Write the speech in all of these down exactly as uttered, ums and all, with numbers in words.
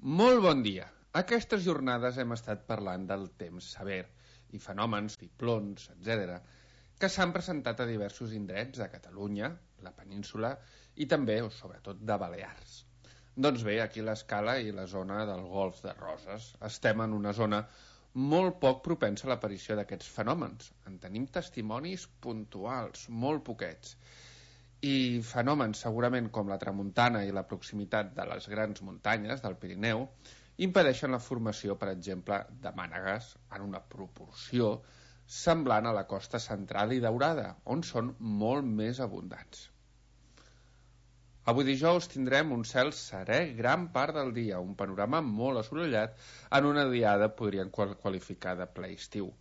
Molt bon dia. Aquestes jornades hem estat parlant del temps sever i fenòmens, ciclons, etcètera, que s'han presentat a diversos indrets de Catalunya, la península i també, o sobretot, de Balears. Doncs bé, aquí a l'Escala i la zona del Golf de Roses estem en una zona molt poc propensa a l'aparició d'aquests fenòmens. En tenim testimonis puntuals, molt poquets. I fenòmens segurament com la tramuntana i la proximitat de les grans muntanyes del Pirineu impedeixen la formació, per exemple, de mànegues en una proporció semblant a la costa central i daurada, on són molt més abundants. Avui dijous tindrem un cel serè gran part del dia, un panorama molt assolellat en una diada podrien qualificar de ple estiu.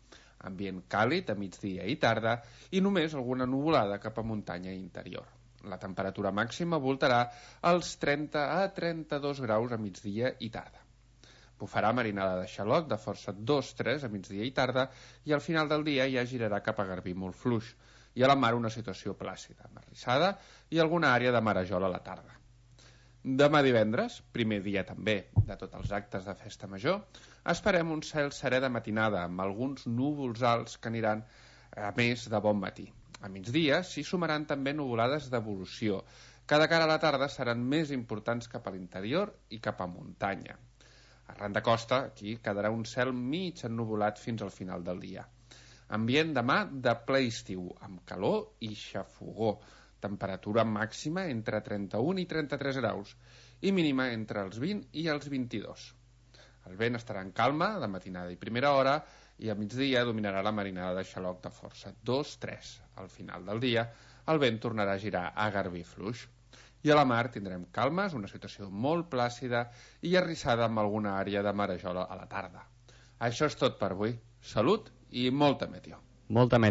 Ambient càlid a migdia i tarda i només alguna nuvolada cap a muntanya interior. La temperatura màxima voltarà als trenta a trenta-dos graus a migdia i tarda. Bufarà marinada de xaloc de força dos tres a migdia i tarda i al final del dia ja girarà cap a Garbí molt fluix i a la mar una situació plàcida, marrissada i alguna àrea de marejol a la tarda. Demà divendres, primer dia també de tots els actes de festa major, esperem un cel serè de matinada amb alguns núvols alts que aniran a més de bon matí. A migdia s'hi sumaran també nuvolades d'evolució, que de cara a la tarda seran més importants cap a l'interior i cap a muntanya. Arran de costa, aquí quedarà un cel mig ennuvolat fins al final del dia. Ambient demà de ple estiu, amb calor i xafogó, temperatura màxima entre trenta-un i trenta-tres graus i mínima entre els vint i els vint-i-dos. El vent estarà en calma de matinada i primera hora i a migdia dominarà la marinada de xaloc de força dos tres. Al final del dia el vent tornarà a girar a Garbí fluix. I a la mar tindrem calmes, una situació molt plàcida i arrissada amb alguna àrea de marejol a la tarda. Això és tot per avui. Salut i molta meteo. Molta meteo.